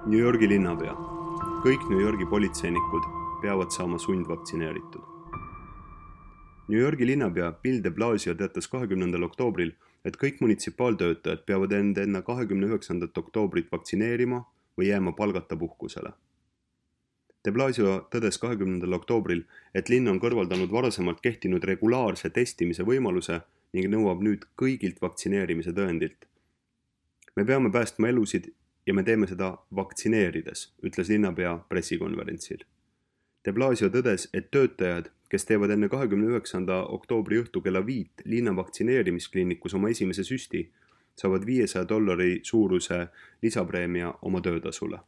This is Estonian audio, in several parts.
New Yorgi linnapea. Kõik New Yorgi politseinikud peavad saama sundvaktsineeritud. New Yorgi linnapea Bill de Blasio teatas 20. oktoobril, et kõik munitsipaaltöötajad peavad end enne 29. oktoobrit vaktsineerima või jääma palgata puhkusele. De Blasio tõdes 20. oktoobril, et linn on kõrvaldanud varasemalt kehtinud regulaarse testimise võimaluse ning nõuab nüüd kõigilt vaktsineerimise tõendilt. Me peame päästma elusid ja me teeme seda vaktsineerides, ütles linnapea pressikonverentsil. De Blasio tõdes, et töötajad, kes teevad enne 29. oktoobri õhtu kella 5 linna vaktsineerimiskliinikus oma esimese süsti, saavad $500 suuruse lisapreemia oma töötasule.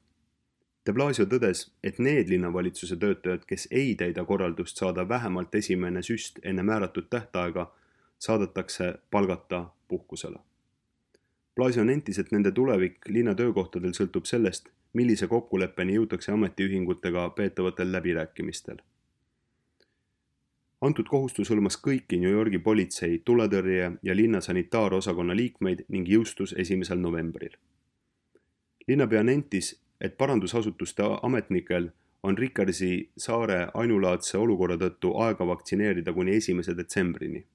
De Blasio tõdes, et need linnavalitsuse töötajad, kes ei täida korraldust saada vähemalt esimene süst enne määratud tähtaega, saadetakse palgata puhkusele. Blasio nentis, et nende tulevik linna töökohtadel sõltub sellest, millise kokkuleppeni jõutakse ametiühingutega peetavatel läbirääkimistel. Antud kohustus hõlmas kõiki New Yorgi politsei, tuletõrje ja linna sanitaarosakonna liikmeid ning jõustus 1. novembril. Linnapea nentis, et parandusasutuste ametnikel on Rickersi saare ainulaadse olukorra tõttu aega vaktsineerida kuni 1. detsembrini.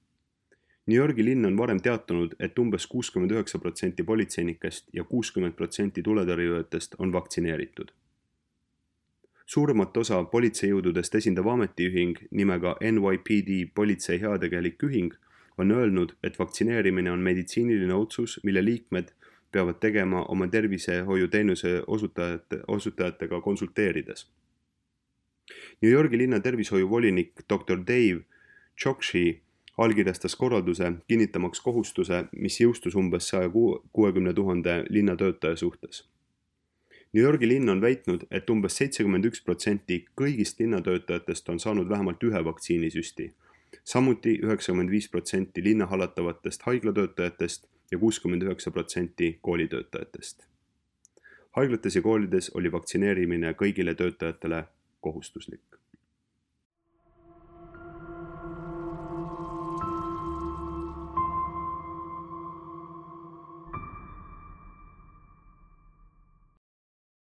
New Yorgi linn on varem teatanud, et umbes 69% politseinikest ja 60% tuletõrjujatest on vaktsineeritud. Suuremat osa politseijõududest esindav ametiühing nimega NYPD politsei heategelik ühing on öelnud, et vaktsineerimine on meditsiiniline otsus, mille liikmed peavad tegema oma tervisehoiuteenuse osutajatega konsulteerides. New Yorgi linna tervishoiuvolinik Dr. Dave Chokshi allkirjastas korralduse kinnitamaks kohustuse, mis jõustus umbes 160 000 linnatöötaja suhtes. New Yorgi linn on väitnud, et umbes 71% kõigist linnatöötajatest on saanud vähemalt ühe vaktsiinisüsti, samuti 95% linna hallatavatest haiglatöötajatest ja 69% koolitöötajatest. Haiglates ja koolides oli vaktsineerimine kõigile töötajatele kohustuslik.